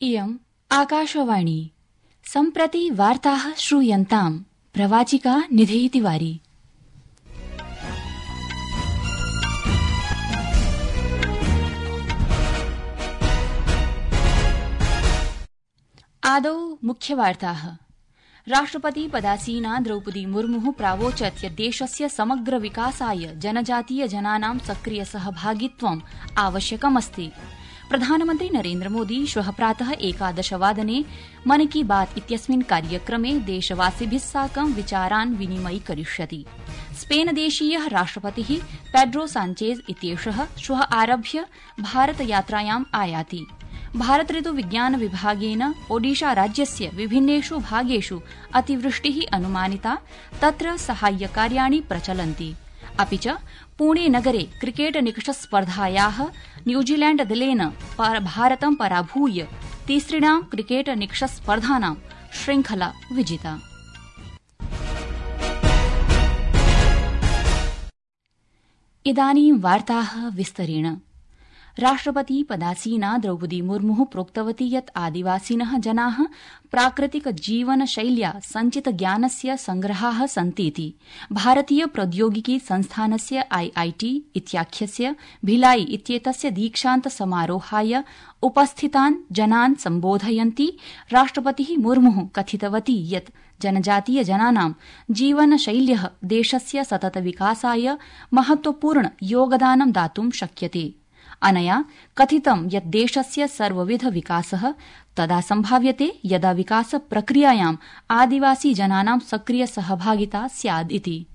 इयम् आकाशवाणी सम्प्रति वार्ताः श्रूयन्ताम् प्रवाचिका निधि तिवारी। आदौ मुख्यवार्ताः। राष्ट्रपति पदासीना द्रौपदी मुर्मु प्रावोचत् यत् देशस्य समग्र विकासाय जनजातीय जनानां सक्रिय सहभागित्वम् आवश्यकमस्ति। प्रधानमन्त्री नरेन्द्रमोदी श्वः प्रातः 11 वादने मन की बात इत्यस्मिन् कार्यक्रमे देशवासिभिः साकं विचारान् विनिमयीकरिष्यति। स्पेनदेशीयः राष्ट्रपतिः पेड्रो सांचेज इत्येषः श्वः आरभ्य भारतयात्रायाम् आयाति। भारत ऋतु विज्ञान विभागेन ओडिशा राज्यस्य विभिन्नेषु भागेषु अतिवृष्टिः अनुमानिता, तत्र साहाय्यकार्याणि प्रचलन्ति। अपि च पुणे नगरे क्रिकेट निकषस्पर्धायाः न्यूजीलैण्ड दलेन भारतं पराभूय तिसृणां क्रिकेट निकषस्पर्धानां श्रृंखला विजिता। इदानीं वार्ताः विस्तरेण। राष्ट्रपति पदासीना द्रौपदी मुर्मु प्रोक्तवती यत् आदिवासिनः जनाः प्राकृतिक जीवन शैल्या सञ्चित ज्ञानस्य संग्रहाः सन्तीति। भारतीय प्रौद्योगिकी संस्थानस्य IIT इत्याख्यस्य भिलाई इत्येतस्य दीक्षान्त समारोहाय उपस्थितान् जनान् सम्बोधयन्ती राष्ट्रपतिः मुर्मुः कथितवती यत् जनजातीय जनानां जीवनशैल्यः देशस्य सतत विकासाय महत्वपूर्ण योगदानं दातुं शक्यते। अनया कथितं यत् देशस्य सर्वविध विकासः तदा सम्भाव्यते यदा विकास प्रक्रियायाम् आदिवासी जनानां सक्रिय सहभागिता स्याद् इति।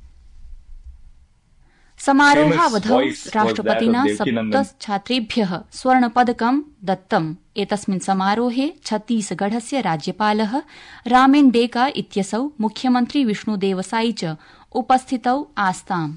समारोहावधौ राष्ट्रपतिना 7 छात्रेभ्यः स्वर्णपदकं दत्तम्। एतस्मिन् समारोहे छत्तीसगढस्य राज्यपालः रामेन डेका इत्यसौ मुख्यमन्त्री विष्णुदेवसाई च उपस्थितौ आस्ताम्।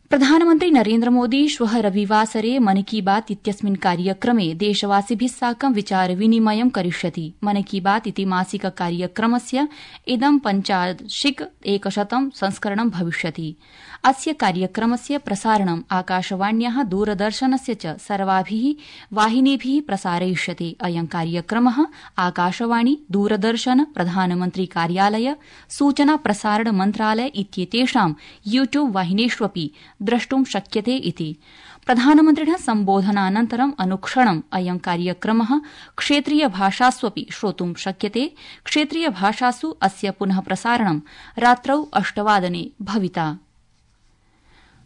प्रधानमन्त्री नरेन्द्रमोदी श्वः रविवासरे मन की बात इत्यस्मिन् कार्यक्रमे देशवासिभिः साकं विचारविनिमयं करिष्यति। मन की बात इति मासिक कार्यक्रमस्य इदं 85 संस्करणं भविष्यति। अस्य कार्यक्रमस्य प्रसारणम् आकाशवाण्याः दूरदर्शनस्य च सर्वाभिः वाहिनीभिः प्रसारयिष्यते। अयं कार्यक्रमः आकाशवाणी, दूरदर्शन, प्रधानमन्त्री कार्यालय, सूचना प्रसारण मन्त्रालय इत्येतेषां यूट्यूब वाहिनीष्वपि द्रष्टुं शक्यते इति। प्रधानमन्त्रिणः सम्बोधनानन्तरम् अनुक्षणम् अयं कार्यक्रमः क्षेत्रीय भाषास्वपि श्रोतुं शक्यते। क्षेत्रीय भाषासु अस्य पुनः प्रसारणं रात्रौ 8 वादने भविता।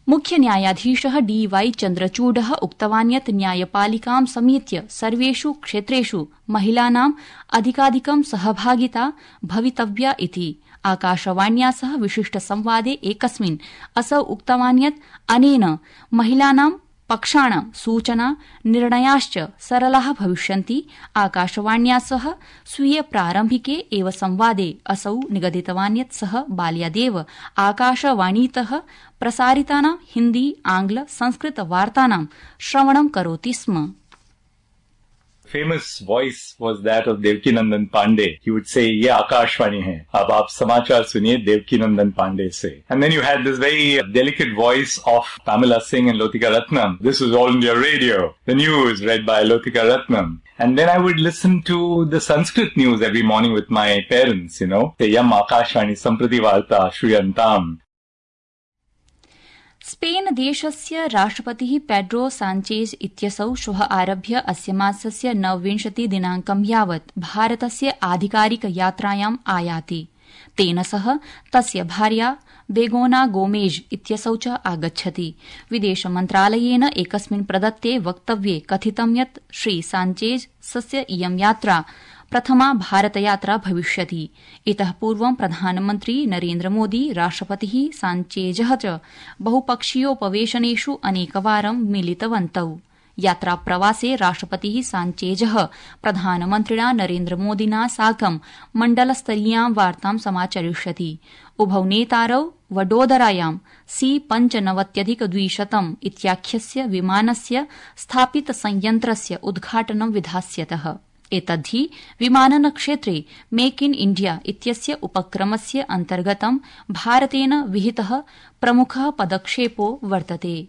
मुख्य न्यायाधीशः DY चन्द्रचूडः उक्तवान् यत् न्यायपालिकां समेत्य सर्वेषु क्षेत्रेषु महिलानां अधिकाधिकं सहभागिता भवितव्या इति। आकाशवाण्या सह विशिष्ट संवादे एकस्मिन् असौ उक्तवान् यत् अनेन महिलानां पक्षाणां सूचना निर्णयाश्च सरलाः भविष्यन्ति। आकाशवाण्या सह स्वीय प्रारम्भिके एव संवादे असौ निगदितवान् यत् सः बाल्यादेव आकाशवाणीतः प्रसारितानां हिन्दी, आंग्ल, संस्कृत वार्तानां श्रवणं करोति स्म। Famous voice was that of Devkinandan Pandey. He would say, "ये आकाशवाणी है, अब आप समाचार सुनिए Devkinandan Pandey से." And then you had this very delicate voice of Pamela Singh and Lotika Ratnam. This was All India Radio. The news read by Lotika Ratnam. And then I would listen to the Sanskrit news every morning with my parents, Say, "Yam Akashvani Samprati Varta Shruyantam." Spain देशस्य राष्ट्रपतिः Pedro Sanchez इत्यसौ श्वः आरभ्य अस्य मासस्य 29 दिनाङ्कं यावत् भारतस्य आधिकारिक यात्रायाम् आयाति। तेन सह तस्य भार्या बेगोना गोमेज इत्यसौ च आगच्छति। विदेशमन्त्रालयेन एकस्मिन् प्रदत्ते वक्तव्ये कथितं यत् श्री सांचेजस्य इयं यात्रा प्रथमा भारतयात्रा भविष्यति। इतः पूर्वं प्रधानमन्त्री नरेन्द्रमोदी, राष्ट्रपतिः सांचेजः च बहुपक्षीयोपवेशनेषु अनेकवारं मिलितवन्तौ। यात्राप्रवासे राष्ट्रपतिः सांचेजः प्रधानमन्त्रिणा नरेन्द्रमोदिना साकं मण्डलस्तरीयां वार्तां समाचरिष्यति। उभौ नेतारौ वडोदरायां C-95-200 इत्याख्यस्य विमानस्य स्थापित संयन्त्रस्य उद्घाटनं विधास्यतः। एतद्धि विमाननक्षेत्रे मेक इन इंडिया इत्यस्य उपक्रमस्य अन्तर्गतं भारतेन विहितः प्रमुखः पदक्षेपो वर्तते।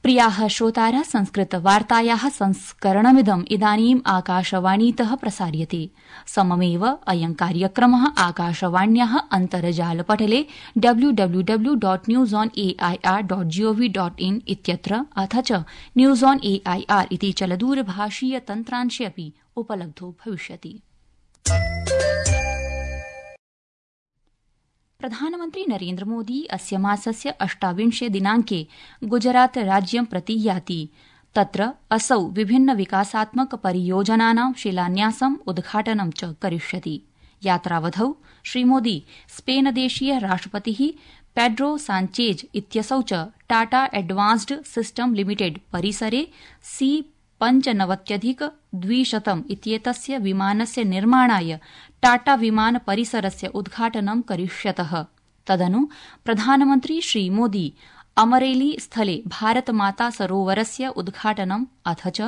प्रियाः श्रोतारः, संस्कृतवार्तायाः संस्करणमिदम् इदानीम् आकाशवाणीतः प्रसार्यते। सममेव अयं कार्यक्रमः आकाशवाण्याः अन्तर्जालपटले www.newsonair.gov.in इत्यत्र अथ च न्यूज़ ऑन AIR इति चलदूरभाषीय तन्त्रांशे अपि उपलब्धो भविष्यति। प्रधानमन्त्री नरेन्द्रमोदी अस्य मासस्य 28 दिनाङ्के गुजरात राज्यं प्रति याति। तत्र असौ विभिन्न विकासात्मक परियोजनानां शिलान्यासम् उद्घाटनं च करिष्यति। यात्रावधौ श्रीमोदी स्पेनदेशीय राष्ट्रपतिः पेड्रो साञ्चेज इत्यसौ च टाटा एडवांस्ड सिस्टम लिमिटेड परिसरे C-95-200 इत्येतस्य विमानस्य निर्माणाय टाटा विमान परिसरस्य उद्घाटनं करिष्यतः। तदनु प्रधानमन्त्री श्रीमोदी अमरेली स्थले भारतमाता सरोवरस्य उद्घाटनं अथ च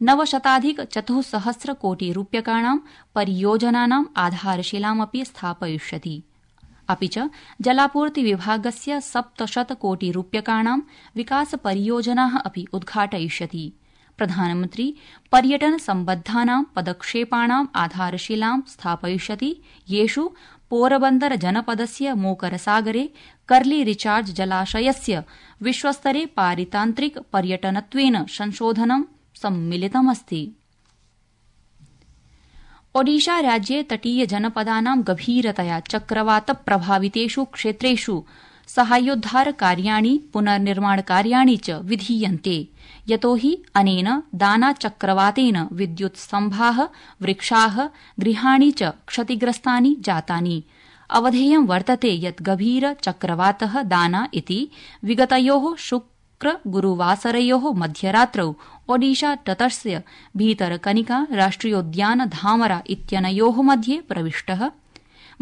900,400 कोटि रूप्यकाणां परियोजनानां आधारशिलामपि स्थापयिष्यति। अपि च जलापूर्ति विभागस्य 700 कोटि रूप्यकाणां विकासपरियोजनाः अपि उद्घाटयिष्यति। प्रधानमन्त्री पर्यटन सम्बद्धानां पदक्षेपाणां आधारशिलां स्थापयिष्यति, येषु पोरबन्दर जनपदस्य मोकरसागरे कर्ली रिचार्ज जलाशयस्य विश्वस्तरे पारितान्त्रिक पर्यटनत्वेन संशोधनं सम्मिलितमस्ति। ओडिशा राज्ये तटीय जनपदानां गभीरतया चक्रवात प्रभावितेषु क्षेत्रेषु साहाय्योद्धार कार्याणि पुनर्निर्माण कार्याणि च विधीयन्ते, यतोहि अनेन दाना चक्रवातेन विद्युत्स्तम्भाः, वृक्षाः, गृहाणि च क्षतिग्रस्तानि जातानि। अवधेयं वर्तते यत् गभीर चक्रवातः दाना इति विगतयोः शुक्र गुरुवासरयोः मध्यरात्रौ ओडिशा तटस्य भीतरकनिका राष्ट्रियोद्यान धामरा इत्यनयोः मध्ये प्रविष्टः।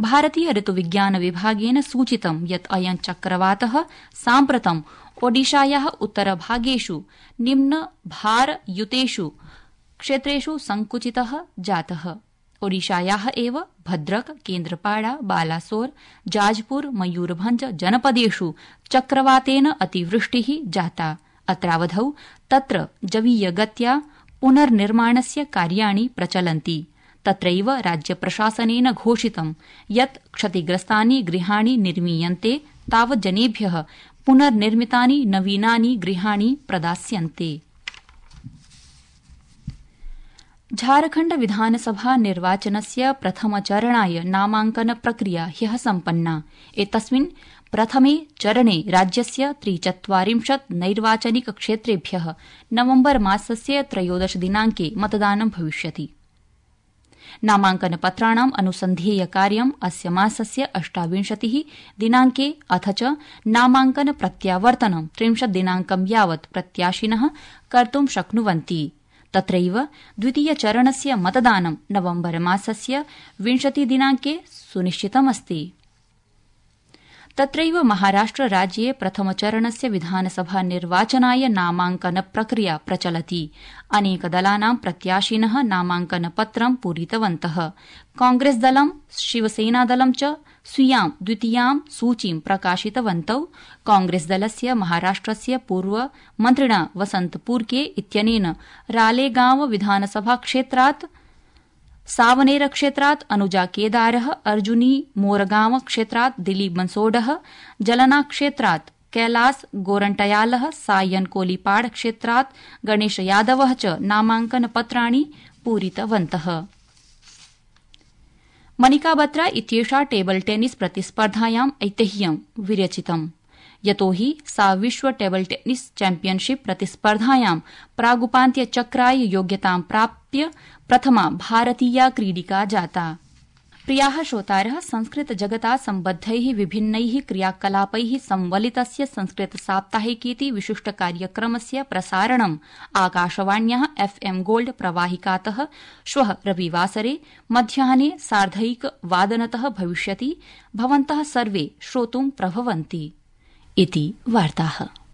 भारतीय ऋतुविज्ञान विभागेन सूचितं यत् अयं चक्रवातः साम्प्रतं ओडिशायाः उत्तरभागेषु निम्नभारयुतेषु क्षेत्रेषु संकुचितः जातः। ओडिशायाः एव भद्रक, केन्द्रपाड़ा, बालासोर, जाजपुर, मयूरभंज जनपदेषु चक्रवातेन अतिवृष्टिः जाता। अत्रावधौ तत्र जवीयगत्या पुनर्निर्माणस्य कार्याणि प्रचलन्ति। तत्रैव राज्यप्रशासनेन घोषितं यत् क्षतिग्रस्तानि गृहाणि निर्मीयन्ते तावत् जनेभ्यः पुनर्निर्मितानि नवीनानि गृहाणि प्रदास्यन्ते। झारखण्ड विधानसभा निर्वाचनस्य प्रथमचरणाय नामाङ्कन प्रक्रिया ह्यः सम्पन्ना। एतस्मिन् प्रथमे चरणे राज्यस्य 43 नैर्वाचनिक क्षेत्रेभ्यः नवम्बर मासस्य 13 दिनाङ्के मतदानं भविष्यति। नामाङ्कनपत्राणाम् अनुसन्धेय कार्यम् अस्य मासस्य 28 दिनाङ्के अथ च नामाङ्कन प्रत्यावर्तनं 30 दिनाङ्कं यावत् प्रत्याशिनः कर्तुं शक्नुवन्ति। तत्रैव द्वितीयचरणस्य मतदानं नवम्बर मासस्य 20 दिनाङ्के सुनिश्चितमस्ति। तत्रैव महाराष्ट्र राज्ये प्रथमचरणस्य विधानसभा निर्वाचनाय नामाङ्कन प्रक्रिया प्रचलति। अनेकदलानां प्रत्याशिनः नामाङ्कनपत्रं पूरितवन्तः। कांग्रेसदलं, शिवसेनादलं च स्वीयां द्वितीयां सूचीं प्रकाशितवन्तौ। कांग्रेसदलस्य महाराष्ट्रस्य पूर्वमन्त्रिणा वसन्त पुरके इत्यनेन रालेगांव विधानसभा क्षेत्रात्, सावनेर क्षेत्रात् अनुजा केदारः, अर्जुनी मोरगांव क्षेत्रात् दिलीप बंसोडः, जलना क्षेत्रात् कैलास गोरंटयालः, सायन कोलीपाड़ क्षेत्रात् गणेश यादवः च नामाङ्कनपत्राणि पूरितवन्तः। मनिका बत्रा इत्येषा टेबल टेनिस प्रतिस्पर्धायां ऐतिह्यं विरचितम्, यतोहि सा विश्व टेबल टेनिस चैम्पियनशिप प्रतिस्पर्धायां प्रागुपान्त्यचक्राय योग्यतां प्राप्य प्रथमा भारतीया क्रीडिका जाता। प्रियाः श्रोतारः, संस्कृत जगता सम्बद्धैः विभिन्नैः क्रियाकलापैः संवलितस्य संस्कृत साप्ताहिकीति विशिष्ट कार्यक्रमस्य प्रसारणम् आकाशवाण्याः FM गोल्ड प्रवाहिकातः श्वः रविवासरे मध्याह्ने 1:30 भविष्यति। भवन्तः सर्वे श्रोतुं प्रभवन्ति इति वार्ताः।